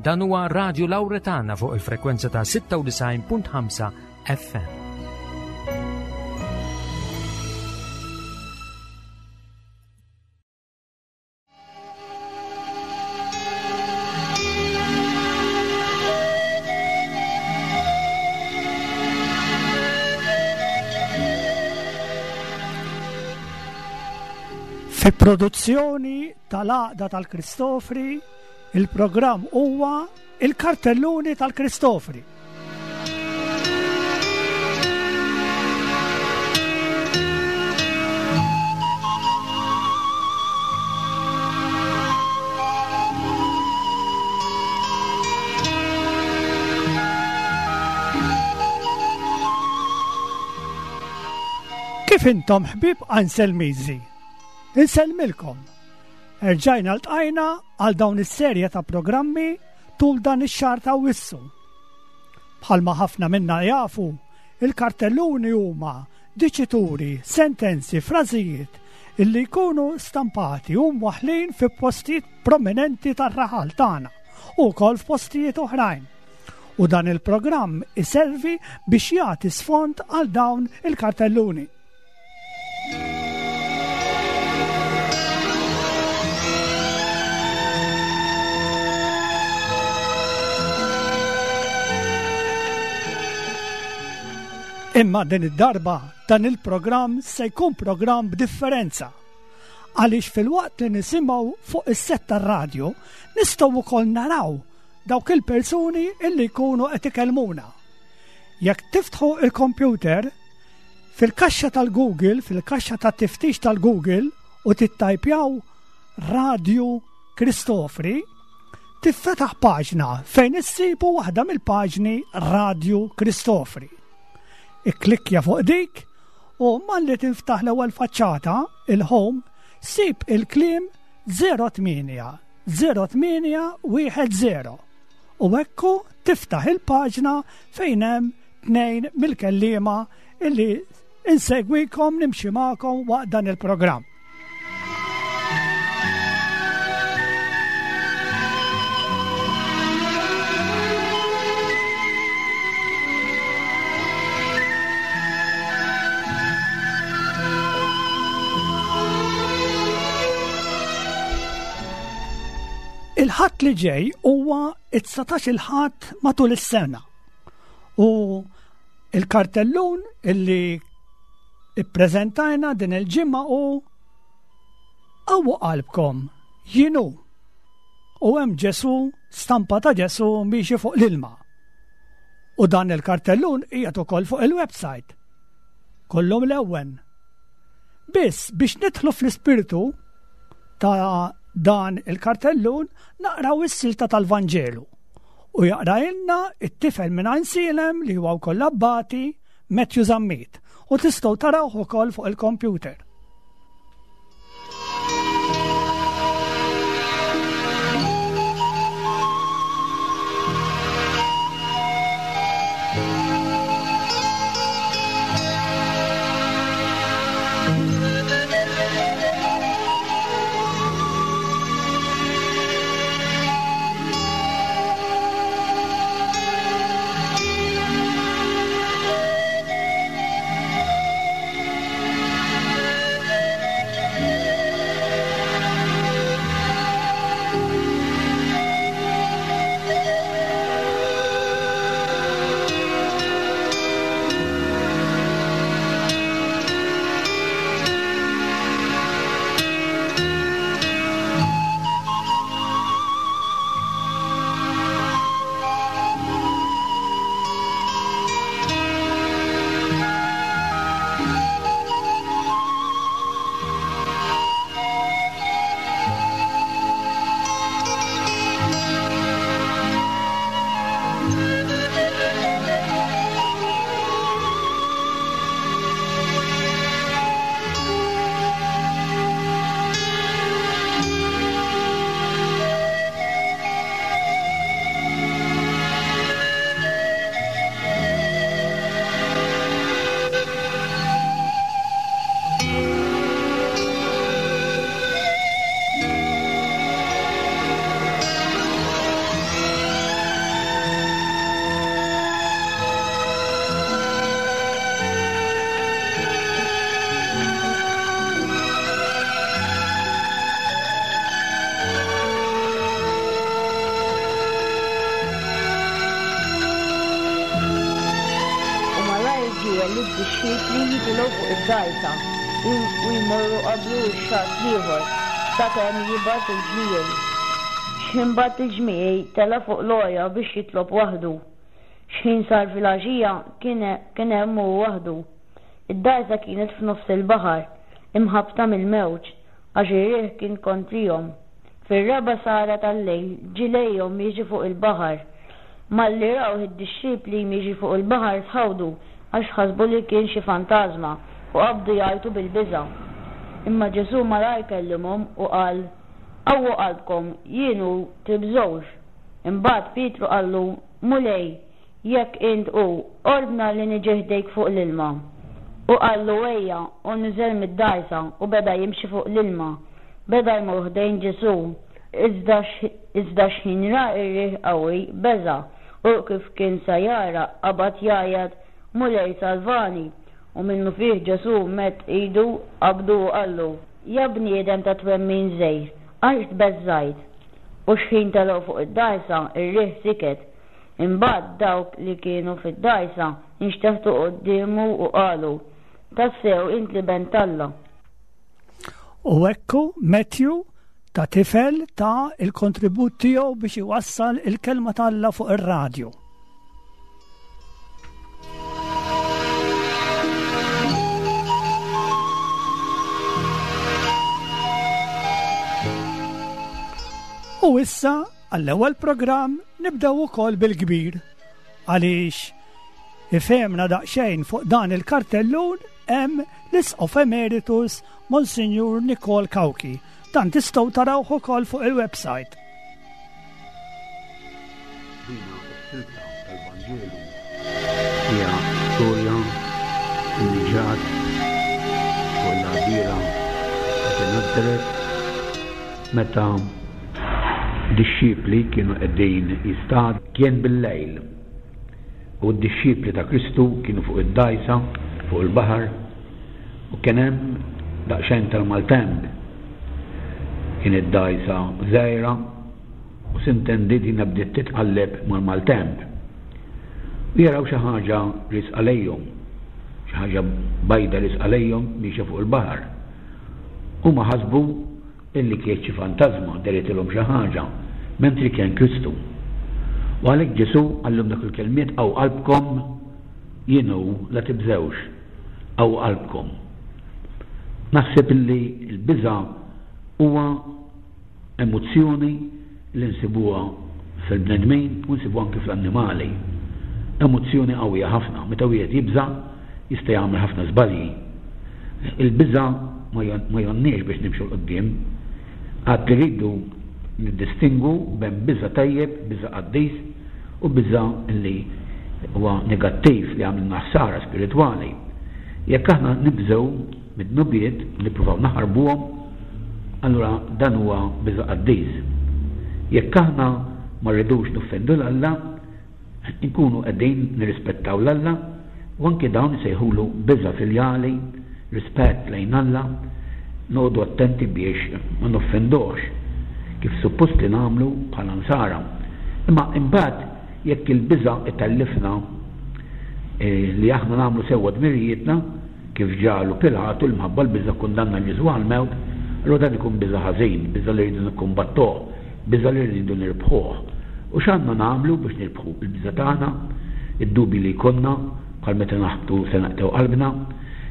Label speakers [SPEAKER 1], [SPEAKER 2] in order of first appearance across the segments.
[SPEAKER 1] Dan huwa Radio Lauretana fuq il-frekwenza ta' 96.5 FM.
[SPEAKER 2] Fi produzzjoni tal-Għaqda tal-Kristofri, il-programm huwa Il-Kartelluni tal-Kristofri. Kif intom ħbieb Anselmiżi? Insellmilkom. Erġajna ltqajna għal dawn is-serje ta' programmi tul dan ix-xahar ta' Awwissu. Bħalma ħafna minna jafu, il-kartelluni huma diċituri, sentenzi, frażijiet illi jkunu stampati u mwaħħlin fi postijiet prominenti tar-raħal tagħna u wkoll f'postijiet oħrajn. U dan il-programm iservi biex jagħti sfond għal dawn il-kartelluni. Imma din id-darba dan il-programm se jkun programm b'differenza. Għaliex filwaqt li nisimgħu fuq is-set tar-radju, nistgħu wkoll naraw dawk il-persuni illi jkunu qed ikellmuna. Jekk tiftħu il-kompjuter, Fil-kaxxa tal-Google, fil-kaxxa ta' tiftix tal-Google u tittajpjaw Radju Kristofri, tiffetaħ paġna fejn issibu waħda mill-paġni Radju Kristofri. Ikklikkja fuq dik u malli tinftaħ l-ewwel faċċata, il-home, sib il-kliem 08 08 10 u ekku tiftaħ il-paġna fejn hemm tnejn mill-kelliema illi insegwikom nimxi magħkom waqt dan il-programm. Il-ħadd li ġej huwa it-19 il-ħadd matul is-sena. U il-kartellun illi ippreżentajna din il-ġimgħa u qawwu qalbkom jienu. U hemm Ġesu, stampa ta' Ġesu miexi fuq l-ilma. U dan il-kartellun qiegħed ukoll fuq il-website. Kollu mlewwen. Biss biex nidħlu fl-ispirtu ta' dan il-kartellun naqraw is-silta tal-Vanġelu. U jaqrailna it-tifel minn Għajnsielem li huwa wkoll abbati Matthew Zammit u tistgħu tarawh ukoll fuq il-kompjuter.
[SPEAKER 3] lid-dixxipli jitilgħu fuq id-dgħajsa u jmorru qablu x-xatt l-ieħor, sakemm jibgħat il-ġmiegħi. X'ħin bagħat il-ġmiegħi, tela' fuq l-għolja biex jitlob waħdu. X'ħin sar filgħaxija, kien hemm hu waħdu. Id-dgħajsa kienet f'nofs il-baħar, imħabbta mill-mewġ, għax ir-riħ kien kontrihom. Fir-raba' sagħra tal-lejl ġie lejhom miexi fuq il-baħar. Malli rawh id-dixxipli miexi fuq il-baħar tħawdu għax ħasbu li kien xi fantażma u qabdu jgħajtu bil-biża'. Imma Ġesù malajr kellimhom u qal, Qawwu qalbkom, jien hu, tibżgħux. Imbagħad Pietru qallu, Mulej, Jekk int hu, ordna li niġi ħdejk fuq l-ilma. U qallu, Ejja, u niżel mid-dgħajsa u beda jimxi fuq l-ilma. Beda jmur ħdejn Ġesù. Iżda iżda xħin ra r-riħ qawwi, beża', u kif kien sa jgħarraq, qabad jgħajjat, Mulej, salvani! U minnufih Ġesù medd idu, qabdu u qallu, Ja bniedem ta' twemmin żgħir, għaliex tbeżżajt? U xħin telgħu fuq id-dgħajsa, ir-riħ siket. Imbagħad dawk li kienu fid-dgħajsa nxteħtu quddiemu u qalu, Tassew int l-Iben t'Alla.
[SPEAKER 2] U ekku Matthew ta' tifel ta' il-kontribut tiegħu biex iwassal il-kelma t'Alla fuq ir-radju. U issa Għall-ewwel programm nibdew ukoll bil-kbir għaliex ifehmna daqsxejn fuq dan il-kartellun hemm l-Isqof Emeritus Monsinjur Nikol Cauchi. Dan tistgħu tarawh ukoll fuq il-website.
[SPEAKER 4] Dina s-silta tal-Vanġelu hija storja li ġrat fuq l-għadira ta' Nazaret Meta d-dixxipli kienu qegħdin jistadu, kien bil-lejl, u d-dixxipli ta' Kristu kienu fuq id-dgħajsa fuq il-baħar, u kien hemm daqsxejn tal-maltemp. Kienet dgħajsa żgħira, u sintendi dina bdiet titqalleb mal-maltemp. U jaraw xi ħaġa riesqa lejhom, xi ħaġa bajda riesqa lejhom miexja fuq il-baħar. Huma ħasbu illi kienet xi fantażma, dehritilhom xi ħaġa, mentri kien Kristu. U għalhekk Ġesù qallhom dak il-kelmiet, Qawwu qalbkom, jien hu, la tibżgħux. Qawwu qalbkom. Naħseb illi l-biża' huwa Emozzjoni li nsibuha fil-bnedmin u nsibuha anki fl-annimali. Emozzjoni qawwija ħafna. Meta wieħed jibża' jista' jagħmel ħafna żbalji. Il-biża' ma jgħonniex biex nimxu 'l quddiem. Għad li rridu niddistingwu bejn biża' tajjeb, biża' qaddis, u biża' li huwa negattiv li jagħmlilna ħsara spiritwali. Jekk aħna nibżgħu mid-dnubiet u nippruvaw naħarbuhom, allura dan huwa biża' qaddis. Jekk aħna ma rridux noffendu 'l Alla, inkunu qegħdin nirrispettaw 'l Alla u anki dawn isejħulu biża' filjali, rispett lejn Alla, noqogħdu attenti biex ma noffenduhx, kif suppost li nagħmlu bħala Nsara. Imma imbagħad jekk il-biża' itellifna li aħna nagħmlu sewwa dmirijietna, Kif ġagħlu Pilatu li mħabba l-biża' kkundanna 'l Ġesù għall-mewt, allura dan ikun biża' ħażin, biża' li rridu nikkumbattuh, biża' li rridu nirbħuh. U x'għandna nagħmlu biex nirbħu l-biża' tagħna, id-dubji li jkollna, bħal meta naħbtu se naqtgħu qalbna?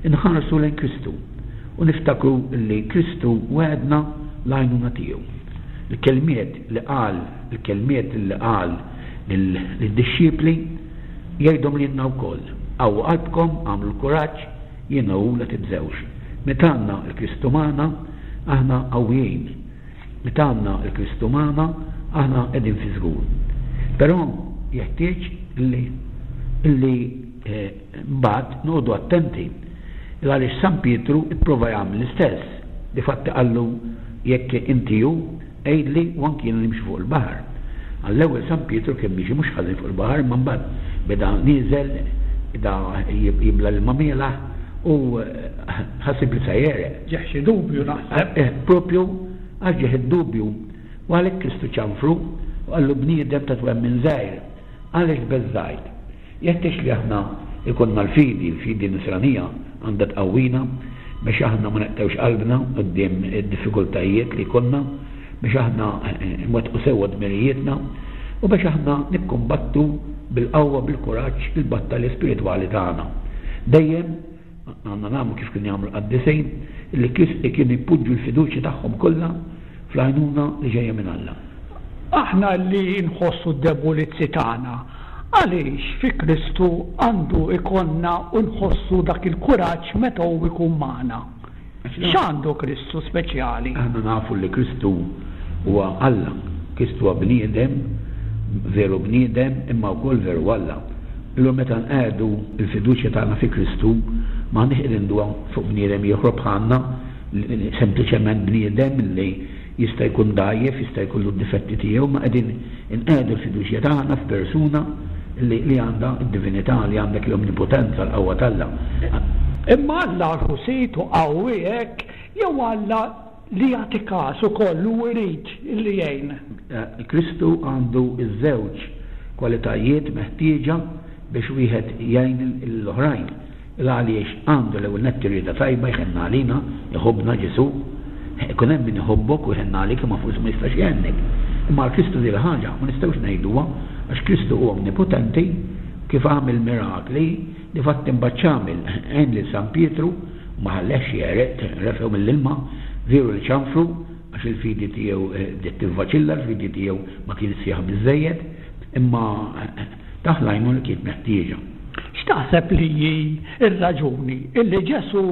[SPEAKER 4] Inħarsu lejn Kristu u niftakru li Kristu wegħedna l-għajnuna tiegħu. Il-kelmiet li qal, il-kelmiet li qal lid-dixxipli, Jgħidhom lilna wkoll, Qawwu qalbkom, agħmlu l-kuraġġ, jiena hu, la tibżgħux. Meta għandna 'l Kristu magħna, aħna qawwijin. Meta għandna 'l Kristu magħna, aħna qegħdin fiż-żgur. Però jeħtieġ li li mbagħad noqogħdu attenti għaliex San Pietru ipprova jagħmel l-istess. Difatti qallu jekk inti hu, Għidli u anki jiena nimxi fuq il-baħar. Għall-ewwel San Pietru kien miexi mhux ħażin fuq il-baħar imma mbagħad beda nieżel, beda jibla' l-ilma mielaħ u ħaseb li se jegħreq.
[SPEAKER 2] Ġieh xi dubju naħseb.
[SPEAKER 4] Eh, propju għax ġieh id-dubju. U għalhekk Kristu ċanfru u qallu bniedem ta' twemmin żgħir, għaliex tbeżżajt? Jeħtieġ li aħna Ikollna l-fidi, il-fidi nisranija għandha tqawwina biex aħna ma neqtgħux qalbna quddiem id-diffikultajiet li jkollna, biex aħna nwettqu sewwa dmirijietna u biex aħna nikkumbattu bil-qawwa, bil-kuraġġ il-battalja spiritwali tagħna. Dejjem għandna nagħmlu kif kienu jagħmlu l-qaddisin, li kienu jpoġġu l-fiduċja tagħhom kollha fl-għajnuna li ġejja minn Alla.
[SPEAKER 2] Aħna li nħossu d-debulizzi tagħna, għaliex fi Kristu għandu jkollna u nħossu dak il-kuraġġ meta hu jkun magħna? X'għandu Kristu speċjali?
[SPEAKER 4] Aħna nafu li Kristu huwa Alla. Kristu huwa bniedem, veru bniedem, imma wkoll veru Alla. Allura meta nqiegħdu l-fiduċja tagħna fi Kristu, m'aħniex qegħdin nduha fuq bniedem ieħor bħalna, sempliċement bniedem li jista' jkun dgħajjef, jista' jkollu d-difetti tiegħu, imma qegħdin inqiegħdu l-fiduċja tagħna f'persuna li li għandha d-divinità, li għandha dik l-omnipotenza, l-qawwa t'Alla.
[SPEAKER 2] Imma Alla għax hu sid u qawwi hekk, jew Alla li jagħti kas ukoll u jrid li jgħin?
[SPEAKER 4] Kristu għandu ż-żewġ kwalitajiet meħtieġa biex wieħed jgħin lill-oħrajn. Il-għaliex għandu l-ewwel nett ir-rieda tajba jħenn għalina, iħobbna Ġesù. Ikun hemm min iħobbok u jħenn għalik imma forsi ma jistax jgħennek. Imma għal Kristu din il-ħaġa ma nistgħux ngħiduha għax Kristu hu omnipotenti, kif għamel mirakli, difatti mbagħad x'għamel? Għen lil San Pietru u ma ħallehx jegħreq, refgħu mill-ilma, veru li ċanfru għax il-fidi tiegħu bdiet tivvaċilla, il-fidi tiegħu ma kinitx sħiħa biżżejjed, imma tah l-għajnuna li kienet meħtieġa.
[SPEAKER 2] X'taħseb li hi r-raġuni illi Ġesù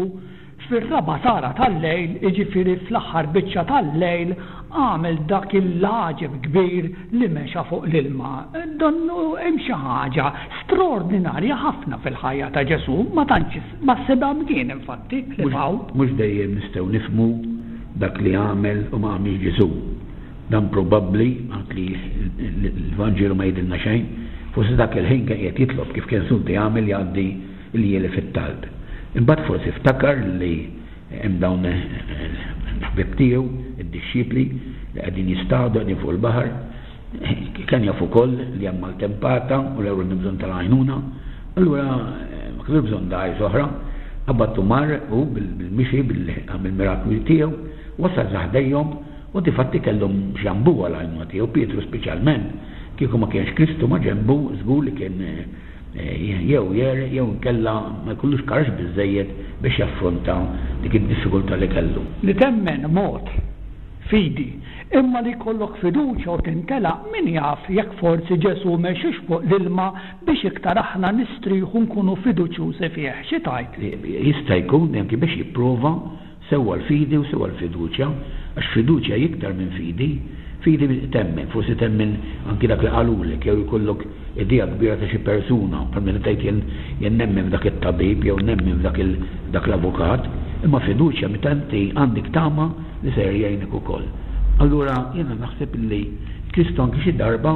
[SPEAKER 2] fir-raba' tara tal-lejl, jiġifieri fl-aħħar biċċa tal-lejl, għamel dak il-għaġeb kbir li mexa fuq l-ilma? Donnu hemm xi ħaġa straordinarja ħafna fil-ħajja ta' Ġesù, ma tantx ma ssibha mkien infatti ħlief hawn.
[SPEAKER 4] Mhux dejjem nistgħu nifhmu dak li għamel u ma għamilx Ġesù. Dan probabbli, anki li l-Vanġelu ma jgħidilna xejn, forsi dak il-ħin kien qiegħed jitlob kif kien soltu jagħmel jgħaddi l-ljieli fit-talb. Imbagħad forsi ftakar li hemm dawn il-ħbieb tiegħu, id-dixxipli, li qegħdin jistadu, qegħdin fuq il-baħar. Kien jaf ukoll li hemm maltempata u l-ewwel għandu bżonn tal-għajnuna. Allura ma kellux bżonn dgħajs oħra, qabad u mar hu bil-mixi, bil-miraklu tiegħu, wasal sa ħdejhom U difatti kellhom x'jambuha l-għajnuna tiegħu, Pietru speċjalment, kieku ma kienx Kristu ma' ġenbu, żgur li kien jew jegħreq jew inkella ma jkollux karaġġ biżżejjed biex jaffronta dik id-diffikultà li kellu.
[SPEAKER 2] Li temmen mod, fidi, imma li jkollok fiduċja u tintelaq, min jaf jekk forsi Ġesù mexiex fuq l-ilma biex iktar aħna nistrieħu nkunu fiduċjużi fih. Xi tgħid?
[SPEAKER 4] Jista' jkun anki biex jipprova Sewwa l-fidi u sewwa l-fiduċja, għax fiduċja hi iktar minn fidi. Fidi temmen, forsi temmen anki dak li qalulek jew jkollok idea kbira ta' xi persuna, bħal meta tgħid jien jien nemmen f'dak it-tabib jew nemmen f'dak il dak l-avukat, imma fiduċja meta inti għandek tama li ser jgħinek ukoll. Allura jiena naħseb illi Kristu anki xi darba,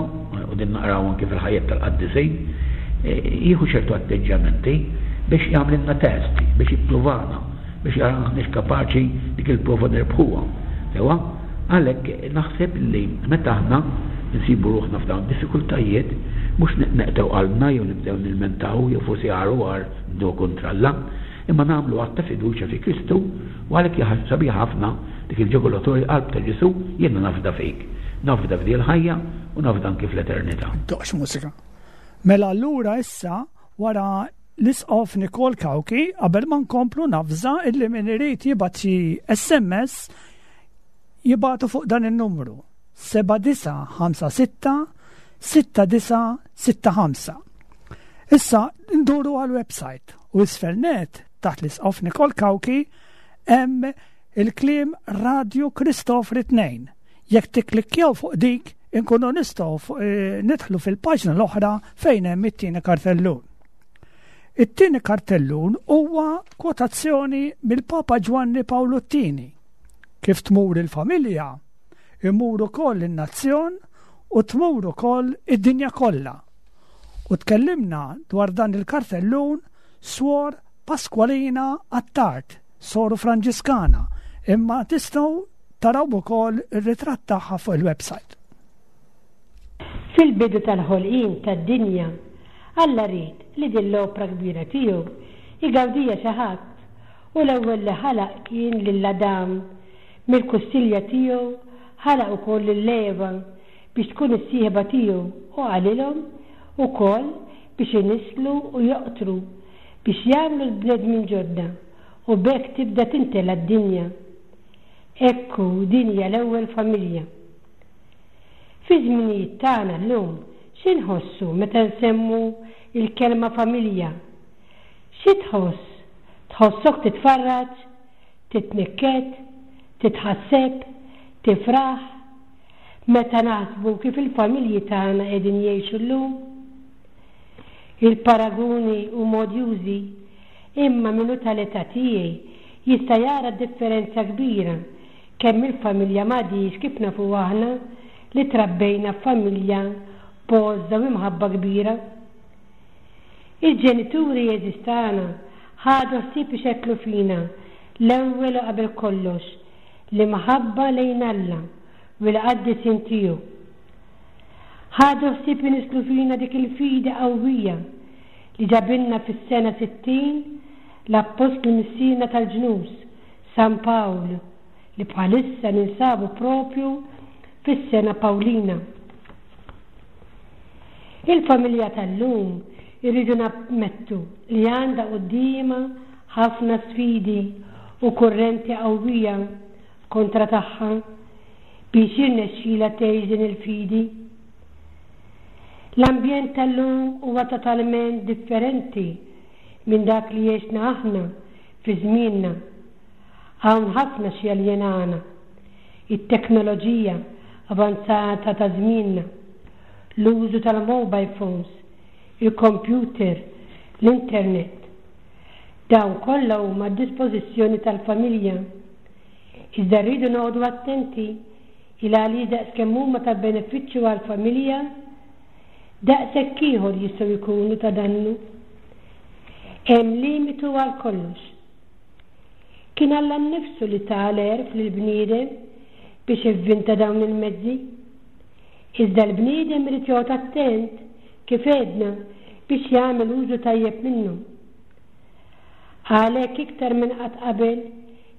[SPEAKER 4] u din naqraw anki fil-ħajjet tal-qaddisin, jieħu ċertu atteġġjamenti biex jagħmlilna test, biex jippruvana. biex jara aħniex kapaċi dik il-prova nirbħuha. Sewwa? Għalhekk naħseb li meta aħna nsibu ruħna f'dawn id-diffikultajiet, mhux neqtgħu qalbna jew nibdew nilmentaw jew forsi agħar u agħar nibdew kontra Alla, imma nagħmlu att ta' fiduċja fi Kristu u għalhekk hija ħaġa sabiħa ħafna dik il-ġakulatorja qalb ta' Ġesù, jiena nafda fik. Nafda f'din il-ħajja u nafda anki fl-eternità.
[SPEAKER 2] Doqx mużika. Mela allura issa wara l-Isqof Nikol Cauchi qabel ma nkomplu navża illi min irid jibgħat xi SMS jibgħatu fuq dan in-numru 7956 6965. Issa nduru għal-website u isfel net taħt l-Isqof Nikol Cauchi hemm il-kliem Radio Kristofri 2. Jekk tikklikkjaw fuq dik, inkunu nistgħu eh, nidħlu fil-paġna l-oħra fejn hemm it-tieni kartellun. It-tieni kartellun huwa kwotazzjoni mill-Papa Ġwanni Pawlu t-Tieni. Kif tmur il-familja, imur ukoll in-nazzjon u tmur ukoll id-dinja kollha. U tkellimna dwar dan il-kartellun Swor Pasqualina Attard, soru Franġiskana, imma tistgħu taraw ukoll ir-ritratt tagħha fuq il-website.
[SPEAKER 5] Fil-bidu tal-ħolqien tad-dinja, Alla ried li din l-opra kbira tiegħu jgawdiha xi ħadd u l-ewwel li ħalaq kien lil Adam. Mill-kustilja tiegħu ħalaq ukoll lil Eva biex tkun is-sieħba tiegħu u qalilhom ukoll biex inisslu u joqtru biex jagħmlu l-bnedmin ġodda u b'hekk tibda timtela d-dinja. Ekku din hija l-ewwel familja. Fiż-żminijiet tagħna llum xi nħossu meta nsemmu l-kelma familja? Xi tħoss? Tħossok titfarraġ? Titnikket? Titħasseb? Tifraħ? Meta naħsbu kif il-familji tagħna qegħdin jgħixu llum? Il-paraguni huma odjużi, imma min hu tal-età tiegħi jista' jara differenza kbira kemm il-familja m'għadhiex kif nafuha aħna li trabbejna f'familja b'għożża u imħabba kbira. Il-ġenituri għeżież tagħna ħadu ħsieb ixettlu fina l-ewwel u qabel kollox l-imħabba lejn Alla u l-qaddisin tiegħu. Ħadu ħsieb inisslu fina dik il-fidi qawwija li ġabilna fis-sena 60 l-Appostlu Missierna tal-Ġnus, San Pawl, li bħalissa ninsabu proprju fis-sena Pawlina. Il-familja tal-lum irridu nammettu li għandha quddiemha ħafna sfidi u kurrenti qawwija kontra tagħha biex jirnexxilha tgħix din il-fidi. L-ambjent tal-lum huwa totalment differenti minn dak li għexna aħna fi żmienna. Hawn ħafna x'jaljenana. It-teknoloġija avanzata ta' żmienna, l-użu tal-mobile phones, il-kompjuter, l-internet. Dawn kollha huma għad-dispożizzjoni tal-familja. Iżda rridu noqogħdu attenti il għaliex daqskemm huma ta' benefiċċju għall-familja, daqshekk ieħor jistgħu jkunu ta' dannu. Hemm limitu għal kollox. Kien Alla nnifsu li ta l-għerf lill-bniedem biex ivvinta dawn il-mezzi. Iżda l-bniedem irid joqgħod attent, kif għedna, biex jagħmel użu tajjeb minnhom. Għalhekk iktar minn qatt qabel,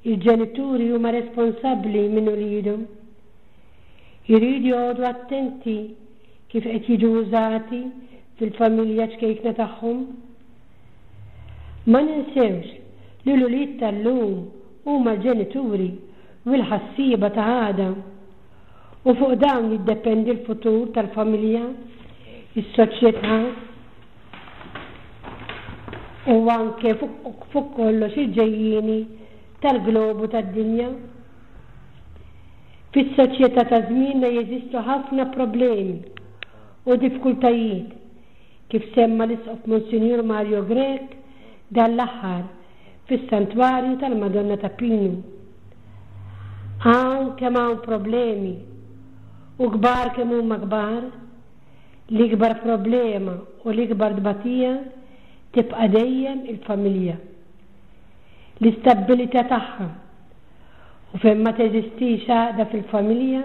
[SPEAKER 5] il-ġenituri huma responsabbli minn uliedhom. Iridu joqogħdu attenti kif qed jiġu użati fil-familja ċkejkna tagħhom. Ma ninsewx li l-ulied tal-lum huma l-ġenituri u l-ħassieba ta' għada. U fuq dawn jiddependi l-futur tal-familja, is-soċjetà u anke fuq kollox il-ġejjieni tal-globu tad-dinja. Fis-soċjetà ta' żmienna jeżistu ħafna problemi u diffkultajiet, kif semma l-Isqof Monsinjur Mario Grech dan l-aħħar fis-Santwarju tal-Madonna ta' Pinu. Hawn kemm hawn problemi, u kbar kemm huma kbar, l-ikbar problema u l-ikbar tbatija tibqa' dejjem il-familja. L-istabbilità tagħha. U fejn ma teżistix għaqda fil-familja,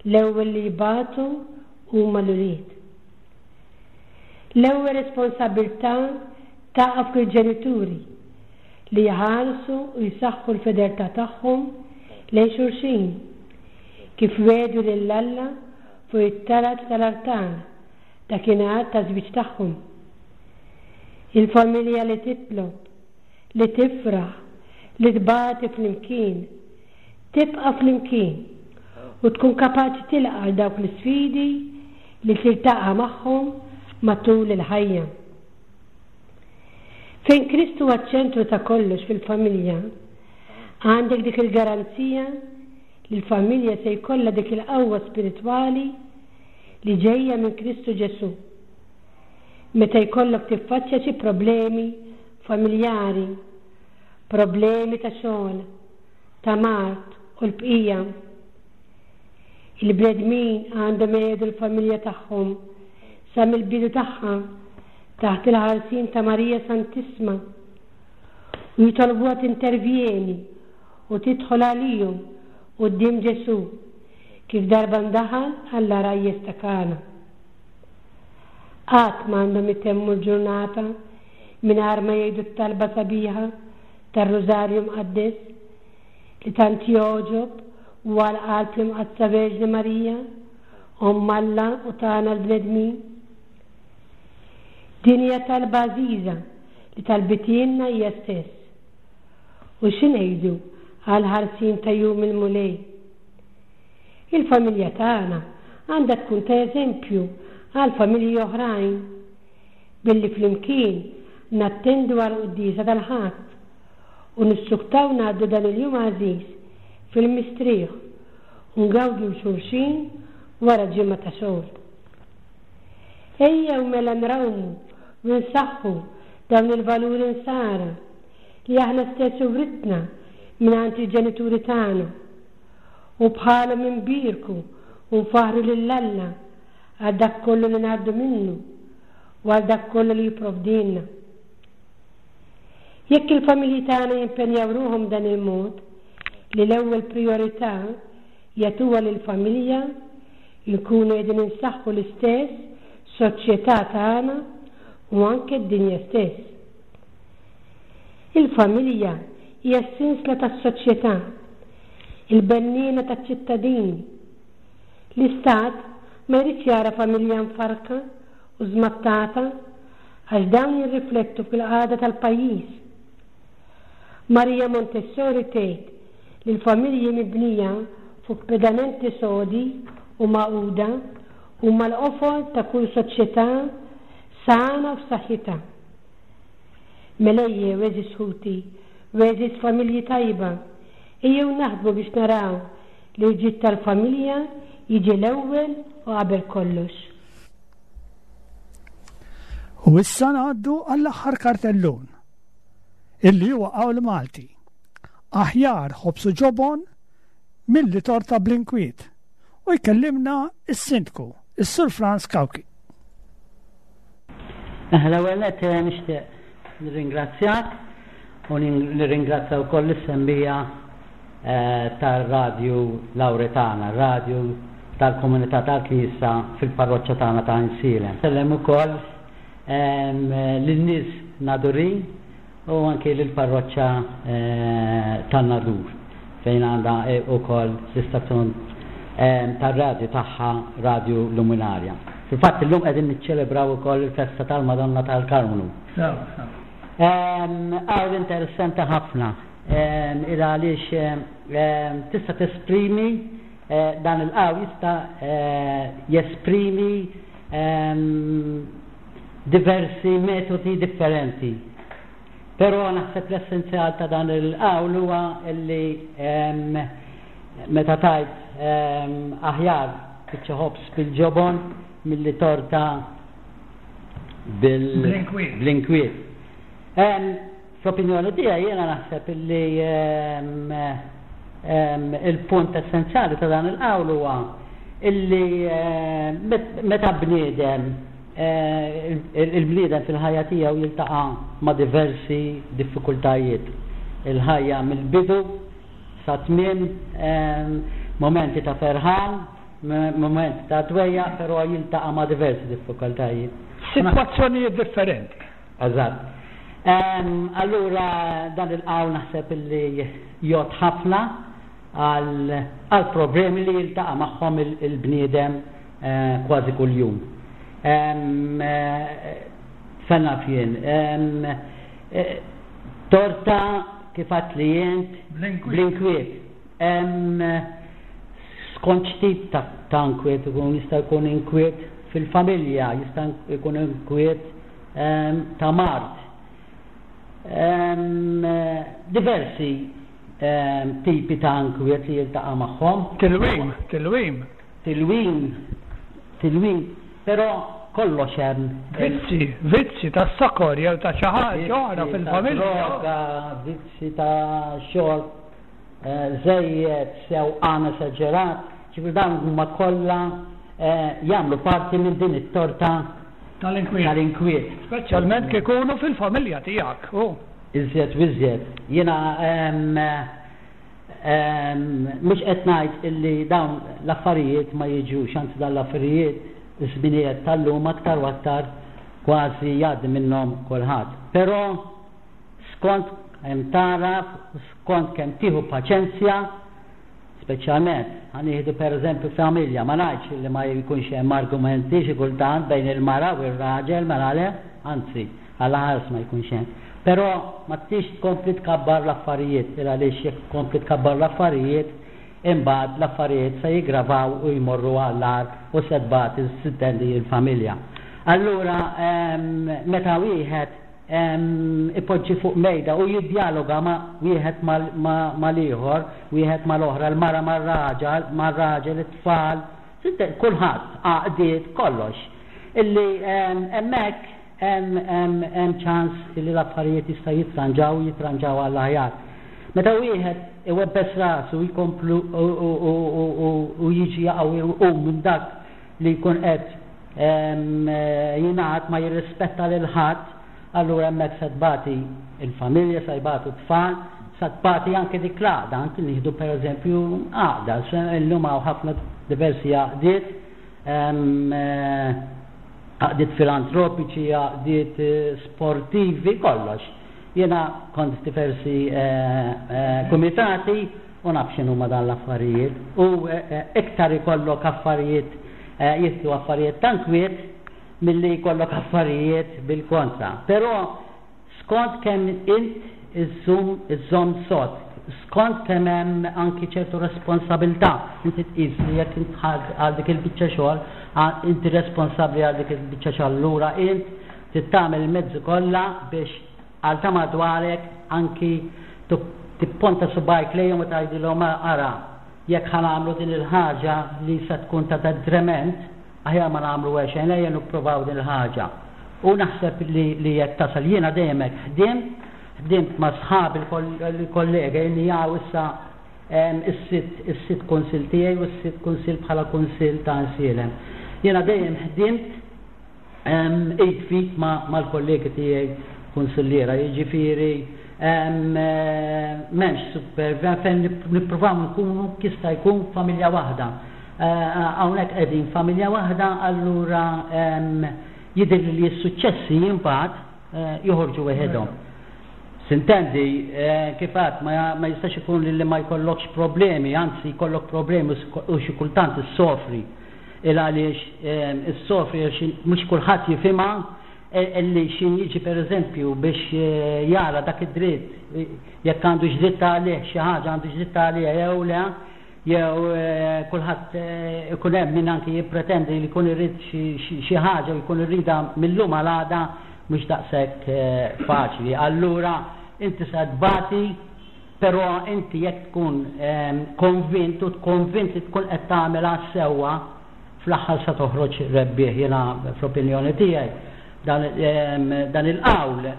[SPEAKER 5] l-ewwel li jbatu huma l-ulied. L-ewwel responsabbiltà taqa' fuq il-ġenituri li jħarsu u jsaħħu l-fedeltà tagħhom lejn xulxin, kif wiegħdu lil Alla fuq it-taraġ tal-artal dakinhar taż-żwieġ tagħhom. Il-familja li titlob, li tifraħ, li tbati flimkien, tibqa' flimkien u tkun kapaċi tilqa' għal dawk l-isfidi li tiltaqa' magħhom matul il-ħajja. Fejn Kristu huwa ċ-ċentru ta' kollox fil-familja, għandek dik il-garanzija li l-familja se jkollha dik il-qawwa spiritwali li ġejja minn Kristu Ġesù. Meta jkollok tiffaċċja xi problemi familjari, problemi ta' xogħol, ta' mard u l-bqija. Il-bnedmin għandhom iqiegħdu l-familja tagħhom sa mill-bidu tagħha taħt il-ħarsien ta' Marija Santissma u jitolbuha tintervjeni u tidħol għalihom quddiem Ġesù kif darba ndaħal għall-għarajjes ta' Kana. Qatt m'għandhom itemmu l-ġurnata mingħajr ma jgħidu t-talba sabiħa tar-Rużarju Mqaddes li tant jogħġob u għal qalb l-Imqaddsa Verġni Marija, Omm Alla u tagħna l-bnedmin. Din hija talba għażiża li talbitielna hija stess. U xi ngħidu għall-ħarsien ta' Jum il-Mulej? Il-familja tagħna għandha tkun ta' eżempju għal familji oħrajn billi flimkien nattendu għall-quddiesa tal-Ħadd u nissuktaw ngħaddu dan il-jum għażiż fil-mistrieħ u ngawdu 'l xulxin wara ġimgħa ta' xogħol. Ejjew mela nrawmu u nsaħħu dawn il-valuri Nsara li aħna stess writna mingħand il-ġenituri tagħna u bħalhom inbierku u nfaħħru lil Alla għal dak kollu li ngħaddu minnu u għal dak kollu li jipprovdilna. Jekk il-familji tagħna jimpenjaw ruħhom b'dan il-mod, li l-ewwel prijorità jagħtuha lill-familja, inkunu qegħdin insaħħu l-istess soċjetà tagħna u anke d-dinja stess. Il-familja hija s-sinsla tas-soċjetà, il-benniena taċ-ċittadini. L-Istat ma jridx jara familja mfarrka u żmattata għax dawn jirriflettu fil-qagħda tal-pajjiż. Maria Montessori tgħid li l-familji mibnija fuq pedamenti sodi u magħquda huma l-qofol ta' kull soċjetà sana u f'saħħitha. Mela ejjew, għeżież ħuti u għeżież familji tajba, ejjew naħdmu biex naraw li l-ġid tal-familja jiġi l-ewwel u qabel kollox.
[SPEAKER 2] U issa ngħaddu għall-aħħar kartellun, illi huwa qawl Malti. Aħjar ħobż u ġobon milli torta bl-inkwiet. U jkellimna s-Sindku, is-Sur Frans Cauchi.
[SPEAKER 6] L-ewwel nett nixtieq nirringrazzjak u nirringrazzja wkoll lis-sembija tar-Radju Lawretana, radju tal-komunità tal-Knisja fil-parroċċa tagħna ta' Għajnsielem. Nsellem ukoll lin-nies Nadurin u anki lill-parroċċa tan-Nadur fejn għandha wkoll l-istazzjon tar-radju tagħha Radju Luminarja. Fil-fatt illum qegħdin niċċelebraw ukoll il-festa tal-Madonna tal-Karmnu. Qawl interessanti ħafna il għaliex tista' tesprimi dan il-qawl jista' jesprimi diversi metodi differenti. Però naħseb l-essenzjal ta' dan il-qawl huwa li meta tgħid aħjar biċċa ħobż bil-ġobon milli torta bl-inkwiet. Fl-opinjoni tiegħi jiena naħseb li il-punt essenzjali ta' dan il-qawl huwa illi meta bniedem il-bniedem fil-ħajja tiegħu jiltaqa' ma' diversi diffikultajiet. Il-ħajja mill-bidu sa tmiem mumenti ta' ferħan, mumenti ta' dwejjaq, però jiltaqa' ma' diversi diffikultajiet.
[SPEAKER 2] Sitwazzjonijiet differenti.
[SPEAKER 6] Eżatt. Allura dan il-qawl naħseb illi jgħodd ħafna għal problemi li jiltaqa' magħhom il-bniedem kważi kuljum. Fejn naf jien, torta kif għedt li int bl-inkwiet. Skont x'tip ta' inkwiet ikun, jista' jkun inkwiet fil-familja, jista' jkun inkwiet ta' mard. Diversi tipi ta' inkwiet li jiltaqa' magħhom.
[SPEAKER 2] Tilwim, tilwim.
[SPEAKER 6] Tilwim, tilwim, però kollox hemm.
[SPEAKER 2] Vizzji, vizzji ta' sokor jew ta' xi ħaġa oħra fil-familja.
[SPEAKER 6] Droga, vizzji ta' xorb żejjed, sewqan esaġerat, ġifieri dawn huma kollha jagħmlu parti minn din it-torta
[SPEAKER 2] Tal-inkwiet.
[SPEAKER 6] Tal-inkwiet.
[SPEAKER 2] Speċjalment kif ikunu fil-familja tiegħek, hu.
[SPEAKER 6] Iżjed u iżjed. Jiena mhux qed ngħid illi dawn l-affarijiet ma jiġux, anzi dawn l-affarijiet. Iż-żminijiet tal-lum aktar u aktar kważi jgħaddi minnhom kulħadd. Però skont kemm tagħraf u skont kemm tieħu paċenzja, speċjalment ħa nieħdu pereżempju familja, ma ngħidx li ma jkunx hemm argumenti xi kultant bejn il-mara u r-raġel, mela le, anzi, Alla ħares ma jkunx hemm. Però ma tix tkompli tkabbar l-affarijiet, il għaliex jekk tkompli tkabbar l-affarijiet, imbagħad l-affarijiet se jiggravaw u jmorru għall-agħar u se tbati s'intendi l-familja. Allura meta wieħed ipoġġi fuq mejda u jiddjaloga ma' wieħed mal-ieħor, wieħed mal-oħra, l-mara mar-raġel, mar-raġel, it-tfal, kulħadd, għaqdiet, kollox, illi hemmhekk hemm ċans illi l-affarijiet jistgħu jitranġaw u jitranġaw għall-aħjar. Meta wieħed iwebbes rasu jkomplu u jiġi jaqa' u jqum minn dak li jkun qed jingħad ma jirrispetta lil ħadd, allura hemmhekk se tbati l-familja, se jbatu t-tfal, se tbati anke dik l-għaqda, anke nieħdu pereżempju għaqda, illum hawn ħafna diversi għaqdiet, għaqdiet filantropiċi, għaqdiet sportivi, kollox. Jiena kont f'diversi kumitati u naf x'inhuma dan l-affarijiet. U iktar ikollok affarijiet jidħlu affarijiet ta' nkwiet milli jkollok affarijiet bil-kontra. Però skont kemm int iżżum iżżomm sod, skont kemm hemm anki ċertu responsabilità, inti tqis li jekk int dħalt għal dik il-biċċa xogħol, inti responsabbli għal dik il-biċċa xogħol allura int trid tagħmel il-mezzi kollha biex għal ta' madwarek anki tipponta subgħajk lejhom u tgħidilhom ara jekk ħa nagħmlu din il-ħaġa li se tkun ta' detriment, Aħjar ma nagħmlu xejn, ejja nippruvaw din il-ħaġa. U naħseb li li jekk tasal, jiena dejjem hekk ħdimt, ħdimt ma' sħabi l-kollega inni hawn issa is-sitt is-sitt kunsill tiegħi u s-sitt kunsill bħala kunsill ta' Għajnsielem. Jiena dejjem ħdimt id f'id mal-kollegi tiegħi kunsilliera, jiġifieri m'hemmx super fejn nippruvaw nkunu jista' jkun familja waħda. Hawnhekk qegħdin familja waħda allura jidhirli li s-suċċessi imbagħad joħorġu weħidhom. Sintendi, kif għedt, ma jistax ikun li ma jkollokx problemi, anzi jkollok problemi u xi kultant issofri. Il għaliex issofri għax mhux kulħadd jifhimha illi x'in jiġi pereżempju biex jara dak id-dritt jekk għandux dritt għalih xi ħaġa għandux dritt għaliha jew le, Jew kulħadd ikun hemm min anki jippretendi li jkun irid xi ħaġa u jkun iridha mil-lum għal għada mhux daqshekk faċli. Allura inti se tbati però inti jekk tkun konvint u konvint li tkun qed tagħmel għas-sewwa fl-aħħar se toħroġ rebbieħ. Jiena fl-opinjoni tiegħi dan il-qawl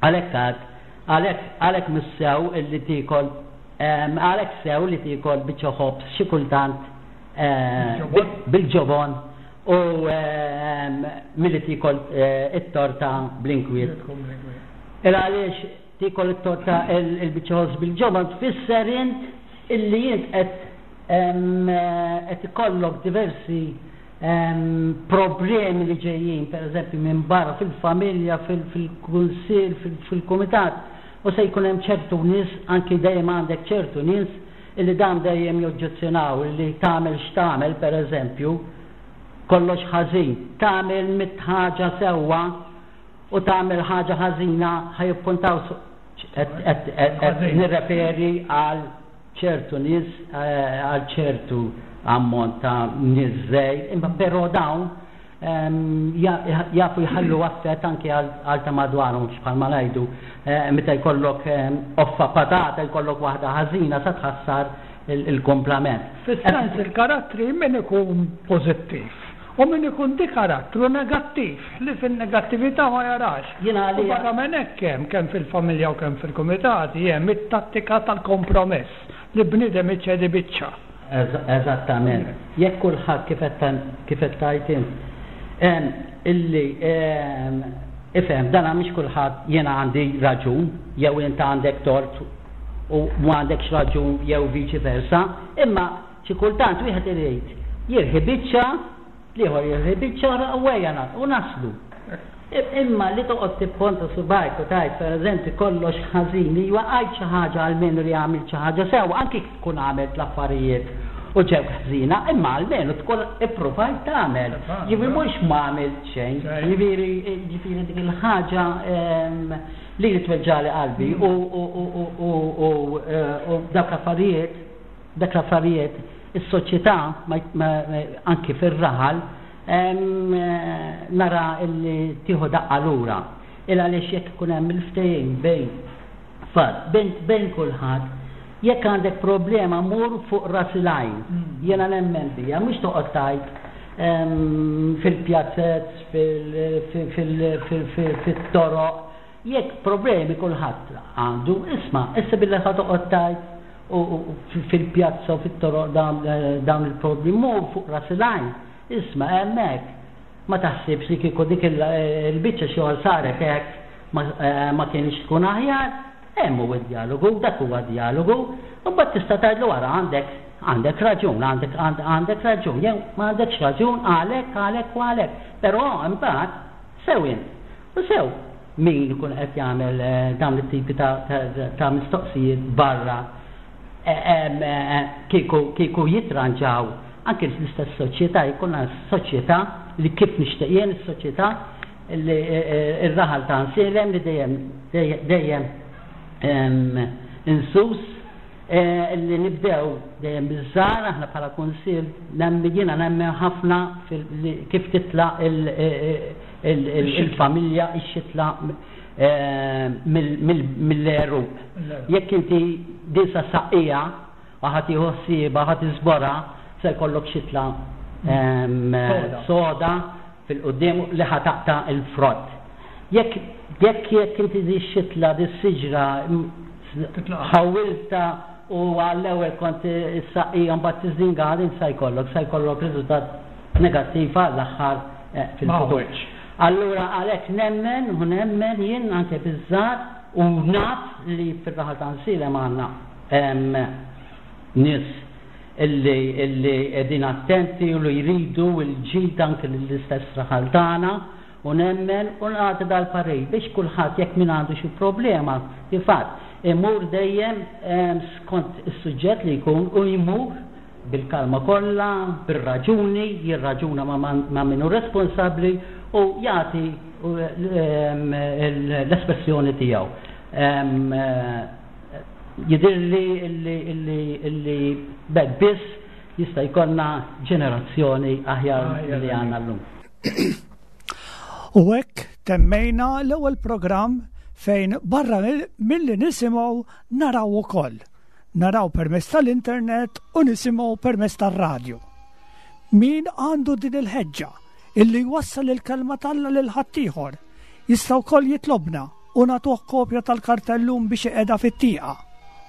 [SPEAKER 6] għalhekk għad għalhekk għalhekk mhux sew illi tiekol Għalhekk sew li tiekol biċċa ħobż xi kultant bil-ġobon u milli tiekol it-torta bl-inkwiet. Il għaliex tiekol it-torta il-biċċa ħobż bil-ġobon tfisser int illi int qed qed ikollok diversi problemi li ġejjin pereżempju minn barra fil-familja, fil-kunsill, fil-kumitat. U se jkun hemm ċertu nies, anki dejjem għandek ċertu nies, illi dawn dejjem joġġezzjonaw illi tagħmel x'tagħmel, per eżempju, kollox ħażin. Tagħmel mitt ħaġa sewwa u tagħmel ħaġa ħażina ħa jippuntaw qed nirreferi għal ċertu nies, għal ċertu ammont ta' nies żgħir, imma però dawn jafu jħallu affett anki għal ta' madwarhom għax bħalma ngħidu meta jkollok qoffa patata jkollok waħda ħażina sa tħassar il-kumplament.
[SPEAKER 2] Fis-sens il-karattri min ikun pożittiv u min ikun di karattru negattiv li fin-negattività ma jarax.
[SPEAKER 6] Jiena
[SPEAKER 2] U
[SPEAKER 6] għalija.
[SPEAKER 2] barra minn hekk hemm kemm fil-familja u kemm fil-kumitati hemm it-tattika tal-kompromess li bniedem iċedi biċċa.
[SPEAKER 6] Eżattament. Jekk kulħadd kif qed kif qed tgħid int, illi ifhem dan mhix kulħadd jiena għandi raġun jew int għandek tort u m'għandekx raġun jew viċi versa, imma xi kultant wieħed irid jirħi biċċa. L-ieħor jieħu biċċa oħra u ejja nagħlqu u naslu. Imma li toqgħod tipponta subgħajk u tgħid pereżempju kollox ħażin, iwa għid xi ħaġa almenu li għamilt xi ħaġa sewwa, anki jekk tkun għamilt l-affarijiet u ġewk ħżiena, imma almenu tkun ippruvajt tagħmel. Jiġifieri mhux ma għamilt xejn. Jiġifieri jiġifieri dik il-ħaġa lili tweġġagħli qalbi u u dawk l-affarijiet dak l-affarijiet is-soċjetà anki fir-raħal nara illi tieħu daqqa lura. Il għaliex jekk ikun hemm il-ftehim bejn fatt, bejn bejn kulħadd, jekk għandek problema mur fuq ras il-għajn. Jiena nemmen biha, mhux toqgħod tgħid fil-pjazzez, fit-toroq. Jekk problemi kulħadd għandu, isma', issa billi ħa toqgħod tgħid fil-pjazza u fit-toroq dawn il-problemi, mur fuq ras il-għajn, isma' hemmhekk. Ma taħsibx li kieku dik il-biċċa xogħol saret hekk ma kienx tkun aħjar? Hemm hu d-djalogu, dak huwa djalogu. U mbagħad tista' tgħidlu ara għandek għandek raġun, għandek għandek raġun, jew ma għandekx raġun għalhekk, għalhekk u għalhekk. Però imbagħad sew int u sew min ikun qed jagħmel dawn it-tipi ta' mistoqsijiet barra kieku kieku jitranġaw anke l-istess soċjetà jkollna soċjetà li kif nixtieq jien is-soċjetà li r-raħal ta' Nsielem li dejjem dejjem insus li nibdew dejjem biż-żgħar aħna bħala kunsill jiena nemmen ħafna kif titla' il-familja ix-xitla mill-għeruq. Jekk inti din sa saqqiha u ħa tieħu ħsiebha, ħa tiżborha, se jkollok xitla soda fil-quddiem li ħa taqta' l-frott. Jekk jekk jekk inti di xitla, di siġra ħawwiltha u għall-ewwel kont issaqqiha mbagħad tiżdingaha din sa jkollok, sa jkollok riżultat negattiv għall-aħħar fil-futur. Allura għalhekk nemmen u nemmen jien anke biż-żgħar u naf li fir-raħal ta' Nsielem għandna nies illi illi qegħdin attenti u li jridu l-ġid anke lill-istess raħal tagħna u nemmen u nagħti dal-parir biex kulħadd jekk min għandu xi problema kif għedt imur dejjem skont is-suġġett li jkun u jmur bil-kalma kollha, bir-raġuni, jirraġuna ma' min hu responsabbli u jagħti l-espressjoni tiegħu. Jidhirli li b'hekk biss jista' jkollna ġenerazzjoni aħjar milli għandna llum.
[SPEAKER 2] U hekk temmejna l-ewwel programm fejn barra milli nisimgħu naraw ukoll. Naraw permezz tal-internet u nisimgħu permezz tar-radju. Min għandu din il-ħeġġa illi jwassal il-kelma t'Alla lil ħaddieħor jista' wkoll jitlobna u nagħtuh kopja tal-kartellun biex iqegħda fit-tieqa.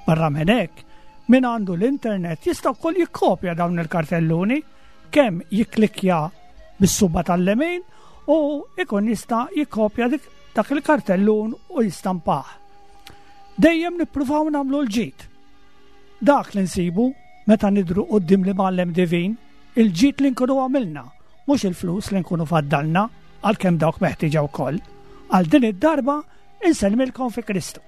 [SPEAKER 2] Barra minn hekk, min għandu l-internet jista' wkoll jikkopja dawn il-kartelluni kemm jikklikkja bis-suba tal-lemin u ikun jista' jikkopja dak il-kartellun u jistampah. Dejjem nippruvaw nagħmlu l-ġid. Dak li nsibu meta nidhru quddiem l-Imgħallem Divin, il-ġid li nkunu għamilna, mhux il-flus li nkunu faddalna, għalkemm dawk meħtieġa wkoll. Għal din id-darba insellmilkom fi Kristu.